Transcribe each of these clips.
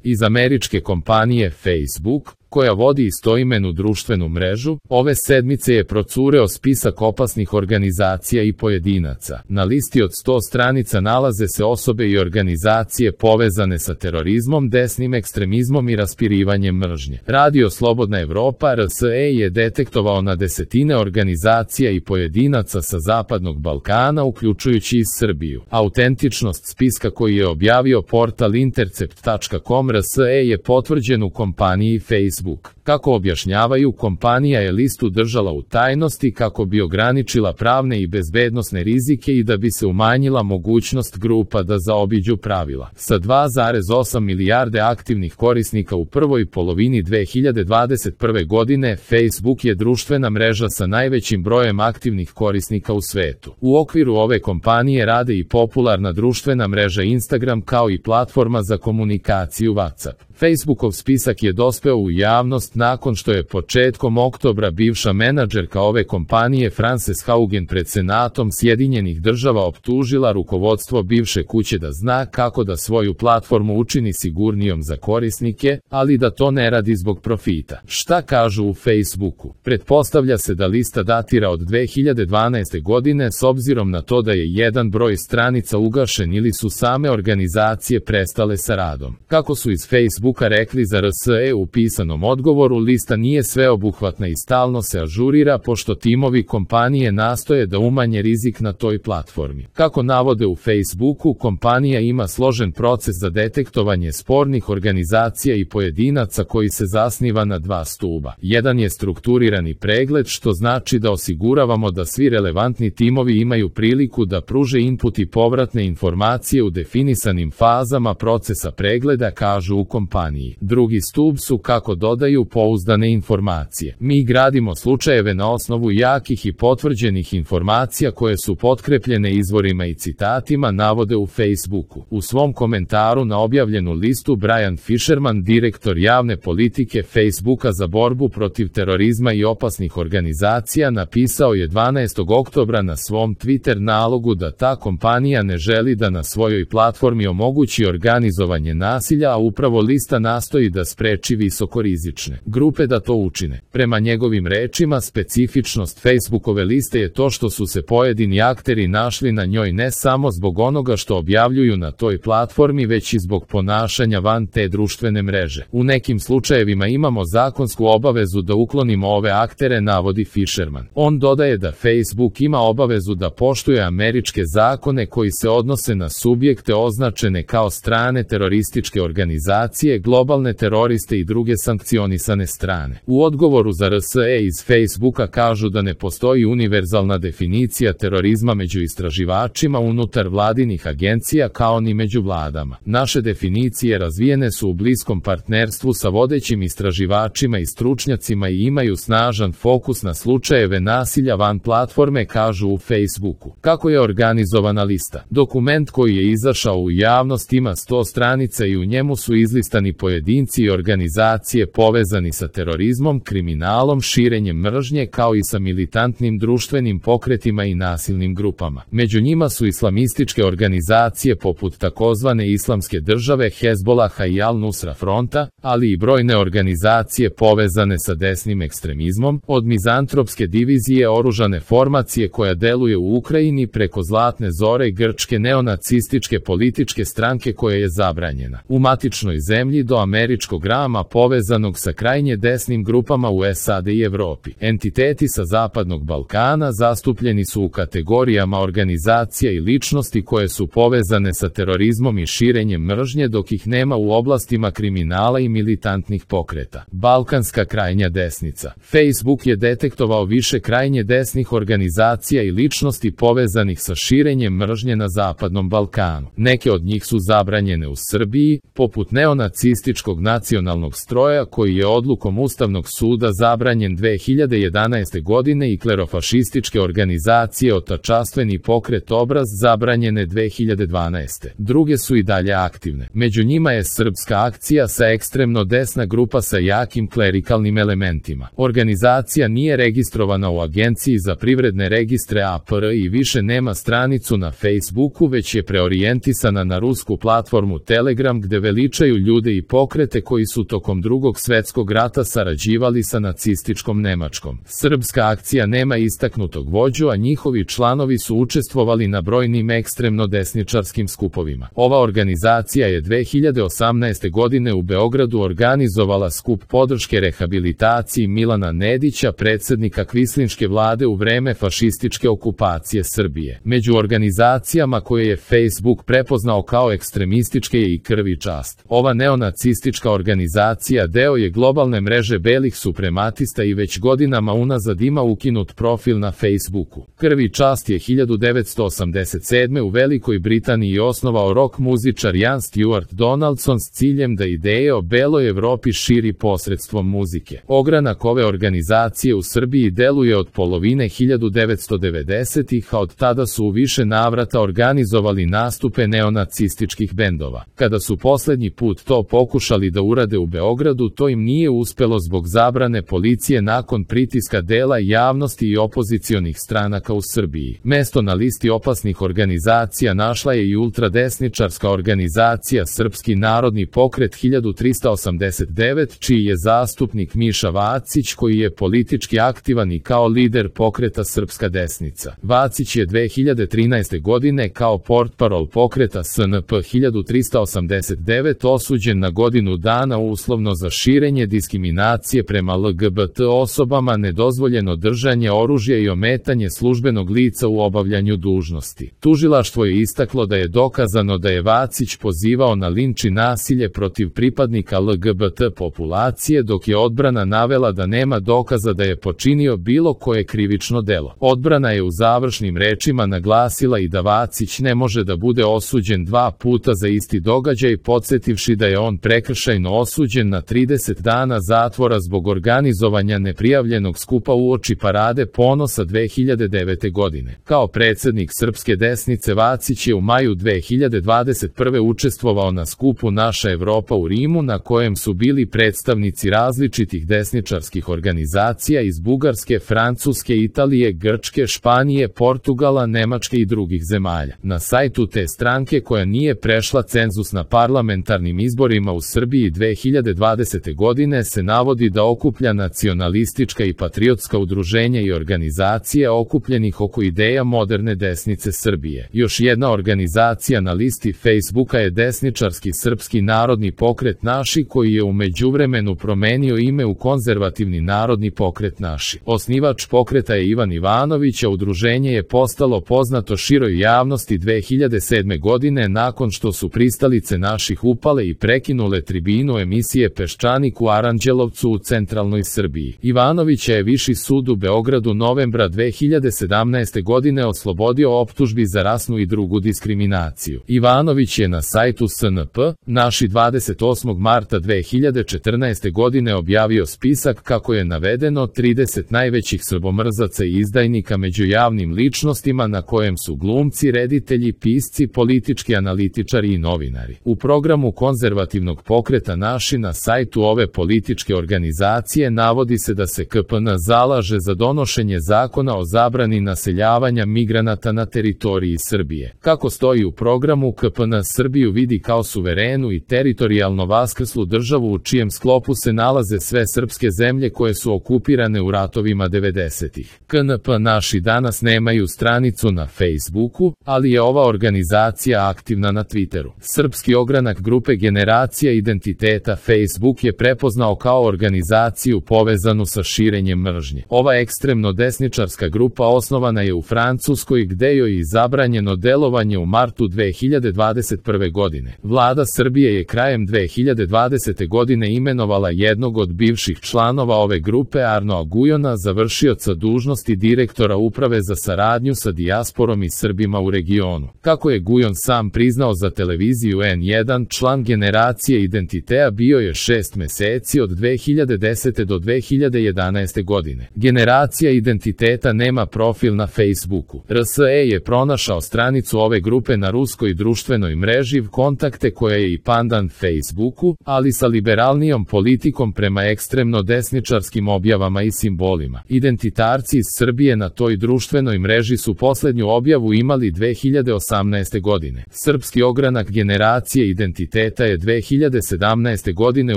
Iz američke kompanije Facebook, koja vodi istoimenu društvenu mrežu, ove sedmice je procureo spisak opasnih organizacija i pojedinaca. Na listi od 100 stranica nalaze se osobe i organizacije povezane sa terorizmom, desnim ekstremizmom i raspirivanjem mržnje. Radio Slobodna Evropa RSE je detektovao na desetine organizacija i pojedinaca sa Zapadnog Balkana, uključujući i Srbiju. Autentičnost spiska koji je objavio portal intercept.com RSE je potvrđen u kompaniji Facebook. Kako objašnjavaju, kompanija je listu držala u tajnosti kako bi ograničila pravne i bezbednosne rizike i da bi se umanjila mogućnost grupa da zaobiđu pravila. Sa 2,8 milijarde aktivnih korisnika u prvoj polovini 2021. godine, Facebook je društvena mreža sa najvećim brojem aktivnih korisnika u svetu. U okviru ove kompanije rade i popularna društvena mreža Instagram kao i platforma za komunikaciju WhatsApp. Facebookov spisak je dospeo u javnost nakon što je početkom oktobra bivša menadžerka ove kompanije Frances Haugen pred Senatom Sjedinjenih Država optužila rukovodstvo bivše kuće da zna kako da svoju platformu učini sigurnijom za korisnike, ali da to ne radi zbog profita. Šta kažu u Facebooku? Pretpostavlja se da lista datira od 2012. godine s obzirom na to da je jedan broj stranica ugašen ili su same organizacije prestale sa radom. Kako su iz Facebooka rekli za RSE u pisanom odgovoru, lista nije sveobuhvatna i stalno se ažurira pošto timovi kompanije nastoje da umanje rizik na toj platformi. Kako navode u Facebooku, kompanija ima složen proces za detektovanje spornih organizacija i pojedinaca koji se zasniva na dva stuba. Jedan je strukturirani pregled, što znači da osiguravamo da svi relevantni timovi imaju priliku da pruže input i povratne informacije u definisanim fazama procesa pregleda, kažu u kompaniji. Drugi stub su, kako dodaju, pouzdane informacije. Mi gradimo slučajeve na osnovu jakih i potvrđenih informacija koje su potkrepljene izvorima i citatima, navode u Facebooku. U svom komentaru na objavljenu listu Brian Fisherman, direktor javne politike Facebooka za borbu protiv terorizma i opasnih organizacija, napisao je 12. oktobra na svom Twitter nalogu da ta kompanija ne želi da na svojoj platformi omogući organizovanje nasilja, a upravo lista nastoji da spreči visokorizične grupe da to učine. Prema njegovim rečima, specifičnost Facebookove liste je to što su se pojedini akteri našli na njoj ne samo zbog onoga što objavljuju na toj platformi, već i zbog ponašanja van te društvene mreže. U nekim slučajevima imamo zakonsku obavezu da uklonimo ove aktere, navodi Fisherman. On dodaje da Facebook ima obavezu da poštuje američke zakone koji se odnose na subjekte označene kao strane terorističke organizacije, globalne teroriste i druge sankcionisane strane. U odgovoru za RSE iz Facebooka kažu da ne postoji univerzalna definicija terorizma među istraživačima unutar vladinih agencija kao ni među vladama. Naše definicije razvijene su u bliskom partnerstvu sa vodećim istraživačima i stručnjacima i imaju snažan fokus na slučajeve nasilja van platforme, kažu u Facebooku. Kako je organizovana lista? Dokument koji je izašao u javnost ima 100 stranica i u njemu su izlistani pojedinci i organizacije povezani sa terorizmom, kriminalom, širenjem mržnje kao i sa militantnim društvenim pokretima i nasilnim grupama. Među njima su islamističke organizacije poput takozvane Islamske države, Hezbolaha i Al-Nusra fronta, ali i brojne organizacije povezane sa desnim ekstremizmom, od mizantropske divizije oružane formacije koja deluje u Ukrajini preko Zlatne zore grčke neonacističke političke stranke koja je zabranjena u matičnoj zemlji do američkog rama povezanog sa krajnje desnim grupama u SAD i Evropi. Entiteti sa Zapadnog Balkana zastupljeni su u kategorijama organizacija i ličnosti koje su povezane sa terorizmom i širenjem mržnje, dok ih nema u oblastima kriminala i militantnih pokreta. Balkanska krajnja desnica. Facebook je detektovao više krajnje desnih organizacija i ličnosti povezanih sa širenjem mržnje na Zapadnom Balkanu. Neke od njih su zabranjene u Srbiji, poput neonacističkog nacionalnog stroja koji je odlukom Ustavnog suda zabranjen 2011. godine i klerofašističke organizacije Otačastveni pokret Obraz zabranjene 2012. Druge su i dalje aktivne. Među njima je Srpska akcija sa ekstremno desna grupa sa jakim klerikalnim elementima. Organizacija nije registrovana u Agenciji za privredne registre APR i više nema stranicu na Facebooku, već je preorijentisana na rusku platformu Telegram gde veličaju ljude ljude i pokrete koji su tokom Drugog svjetskog rata sarađivali sa nacističkom Nemačkom. Srpska akcija nema istaknutog vođu, a njihovi članovi su učestvovali na brojnim ekstremno desničarskim skupovima. Ova organizacija je 2018. godine u Beogradu organizovala skup podrške rehabilitaciji Milana Nedića, predsjednika kvislinške vlade u vreme fašističke okupacije Srbije. Među organizacijama koje je Facebook prepoznao kao ekstremističke je i Krv i čast. Ova neonacistička organizacija deo je globalne mreže belih suprematista i već godinama unazad ima ukinut profil na Facebooku. Krv i čast je 1987. u Velikoj Britaniji osnovao rock muzičar Ian Stewart Donaldson s ciljem da ideje o beloj Evropi širi posredstvom muzike. Ogranak ove organizacije u Srbiji deluje od polovine 1990-ih, a od tada su u više navrata organizovali nastupe neonacističkih bendova. Kada su posljednji put to pokušali da urade u Beogradu, to im nije uspelo zbog zabrane policije nakon pritiska dela javnosti i opozicionih stranaka u Srbiji. Mesto na listi opasnih organizacija našla je i ultradesničarska organizacija Srpski narodni pokret 1389, čiji je zastupnik Miša Vacić, koji je politički aktivan i kao lider pokreta Srpska desnica. Vacić je 2013. godine kao portparol pokreta SNP 1389 osuđen na godinu dana uslovno za širenje diskriminacije prema LGBT osobama, nedozvoljeno držanje oružja i ometanje službenog lica u obavljanju dužnosti. Tužilaštvo je istaklo da je dokazano da je Vacić pozivao na linč i nasilje protiv pripadnika LGBT populacije, dok je odbrana navela da nema dokaza da je počinio bilo koje krivično delo. Odbrana je u završnim rečima naglasila i da Vacić ne može da bude osuđen dva puta za isti događaj, podsjetivši da je on prekršajno osuđen na 30 dana zatvora zbog organizovanja neprijavljenog skupa uoči Parade ponosa 2009. godine. Kao predsjednik Srpske desnice Vacić je u maju 2021. učestvovao na skupu Naša Evropa u Rimu, na kojem su bili predstavnici različitih desničarskih organizacija iz Bugarske, Francuske, Italije, Grčke, Španije, Portugala, Nemačke i drugih zemalja. Na sajtu te stranke, koja nije prešla cenzus na parlamentarnim izborima u Srbiji 2020. godine, se navodi da okuplja nacionalistička i patriotska udruženja i organizacije okupljenih oko ideja moderne desnice Srbije. Još jedna organizacija na listi Facebooka je desničarski Srpski narodni pokret Naši, koji je u međuvremenu promenio ime u Konzervativni narodni pokret Naši. Osnivač pokreta je Ivan Ivanović, a udruženje je postalo poznato široj javnosti 2007. godine nakon što su pristalice Naših upale i prekinule tribinu emisije Peščanik u Aranđelovcu u centralnoj Srbiji. Ivanovića je Viši sud u Beogradu novembra 2017. godine oslobodio optužbi za rasnu i drugu diskriminaciju. Ivanović je na sajtu SNP Naši 28. marta 2014. godine objavio spisak, kako je navedeno, 30 najvećih srbomrzaca i izdajnika među javnim ličnostima, na kojem su glumci, reditelji, pisci, politički analitičari i novinari. U programu konzervativnog pokreta Naši na sajtu ove političke organizacije navodi se da se KPN zalaže za donošenje zakona o zabrani naseljavanja migranata na teritoriji Srbije. Kako stoji u programu, KPN Srbiju vidi kao suverenu i teritorijalno vaskrslu državu u čijem sklopu se nalaze sve srpske zemlje koje su okupirane u ratovima 90-ih. KNP Naši danas nemaju stranicu na Facebooku, ali je ova organizacija aktivna na Twitteru. Srpski ogranak grupe Generacija identiteta Facebook je prepoznao kao organizaciju povezanu sa širenjem mržnje. Ova ekstremno desničarska grupa osnovana je u Francuskoj, gde joj je zabranjeno delovanje u martu 2021. godine. Vlada Srbije je krajem 2020. godine imenovala jednog od bivših članova ove grupe, Arnoa Gujona, za vršioca dužnosti direktora uprave za saradnju sa dijasporom i Srbima u regionu. Kako je Gujon sam priznao za televiziju N1, član Generacije identiteta bio je 6 meseci od 2010. do 2011. godine. Generacija identiteta nema profil na Facebooku. RSE je pronašao stranicu ove grupe na ruskoj društvenoj mreži Kontakte, koja je i pandan Facebooku, ali sa liberalnijom politikom prema ekstremno desničarskim objavama i simbolima. Identitarci iz Srbije na toj društvenoj mreži su posljednju objavu imali 2018. godine. Srpski ogranak Generacije identiteta je 2018. 2017. godine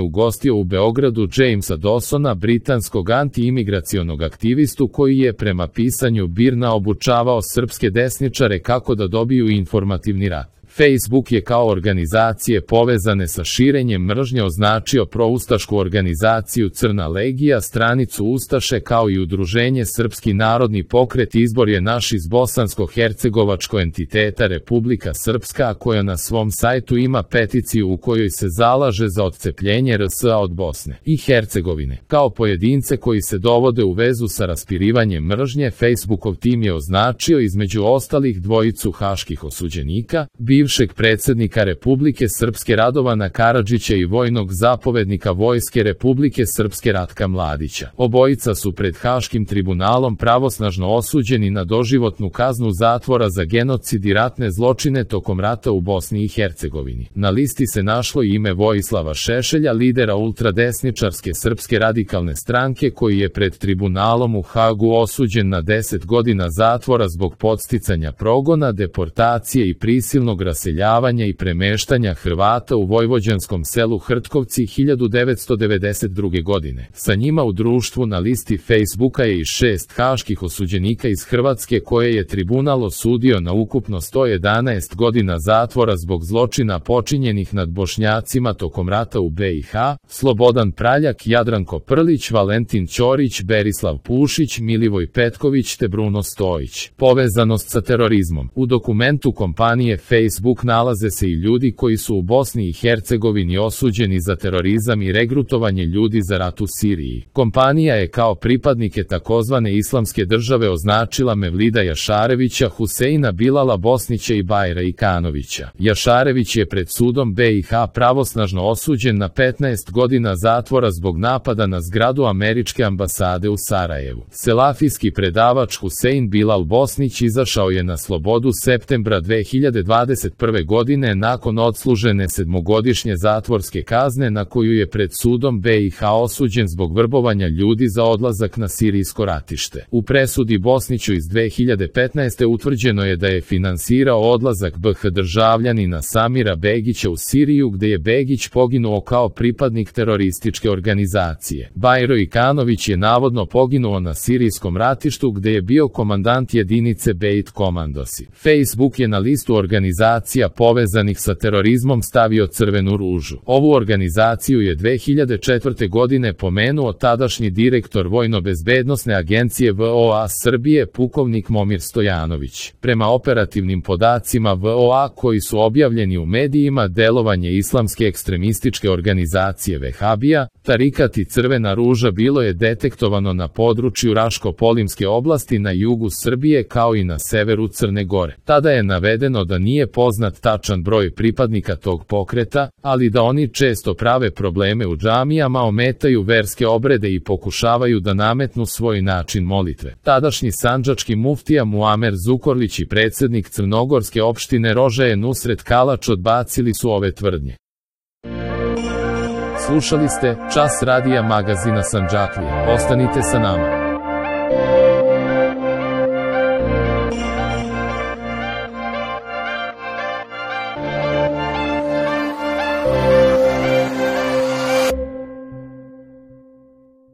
ugostio u Beogradu Jamesa Dawsona, britanskog anti-imigracionog aktivistu koji je prema pisanju BIRN-a obučavao srpske desničare kako da dobiju informativni rat. Facebook je kao organizacije povezane sa širenjem mržnje označio proustašku organizaciju Crna legija, stranicu Ustaše kao i udruženje Srpski narodni pokret Izbor je naš iz bosansko-hercegovačko entiteta Republika Srpska, koja na svom sajtu ima peticiju u kojoj se zalaže za odcepljenje RS-a od Bosne i Hercegovine. Kao pojedince koji se dovode u vezu sa raspirivanjem mržnje, Facebookov tim je označio između ostalih dvojicu haških osuđenika, bivšeg predsjednika Republike Srpske Radovana Karadžića i vojnog zapovednika Vojske Republike Srpske Ratka Mladića. Obojica su pred Haškim tribunalom pravosnažno osuđeni na doživotnu kaznu zatvora za genocid i ratne zločine tokom rata u Bosni i Hercegovini. Na listi se našlo i ime Vojislava Šešelja, lidera ultradesničarske Srpske radikalne stranke, koji je pred tribunalom u Hagu osuđen na 10 godina zatvora zbog podsticanja progona, deportacije i prisilnog raseljavanja i premeštanja Hrvata u vojvođanskom selu Hrtkovci 1992. godine. Sa njima u društvu na listi Facebooka je i 6 haških osuđenika iz Hrvatske koje je tribunal osudio na ukupno 111 godina zatvora zbog zločina počinjenih nad Bošnjacima tokom rata u BiH: Slobodan Praljak, Jadranko Prlić, Valentin Ćorić, Berislav Pušić, Milivoj Petković te Bruno Stojić. Povezanost sa terorizmom. U dokumentu kompanije Facebook nalaze se i ljudi koji su u Bosni i Hercegovini osuđeni za terorizam i regrutovanje ljudi za rat u Siriji. Kompanija je kao pripadnike takozvane islamske države označila Mevlida Jašarevića, Huseina Bilala Bosnića i Bajra Ikanovića. Jašarević je pred sudom BiH pravosnažno osuđen na 15 godina zatvora zbog napada na zgradu američke ambasade u Sarajevu. Selafijski predavač Husein Bilal Bosnić izašao je na slobodu septembra 2021. godine nakon odslužene 7-godišnje zatvorske kazne na koju je pred sudom BiH osuđen zbog vrbovanja ljudi za odlazak na sirijsko ratište. U presudi Bosniću iz 2015. utvrđeno je da je finansirao odlazak BiH državljanina Samira Begića u Siriju, gde je Begić poginuo kao pripadnik terorističke organizacije. Bajro Ikanović je navodno poginuo na sirijskom ratištu gde je bio komandant jedinice Beit Komandosi. Facebook je na listu organizacija povezanih sa terorizmom stavio Crvenu ružu. Ovu organizaciju je 2004. godine pomenuo tadašnji direktor Vojno-bezbednosne agencije VOA Srbije, pukovnik Momir Stojanović. Prema operativnim podacima VOA koji su objavljeni u medijima, delovanje islamske ekstremističke organizacije Vehabija, Tarikat i Crvena ruža bilo je detektovano na području Raško-Polimske oblasti na jugu Srbije kao i na severu Crne Gore. Tada je navedeno da nije poznat tačan broj pripadnika tog pokreta, ali da oni često prave probleme u džamijama, ometaju verske obrede i pokušavaju da nametnu svoj način molitve. Tadašnji sandžački muftija Muamer Zukorlić i predsjednik crnogorske opštine Rožaje Nusret Kalač odbacili su ove tvrdnje. Slušali ste Čas radija magazina Sandžaklija. Ostanite sa nama.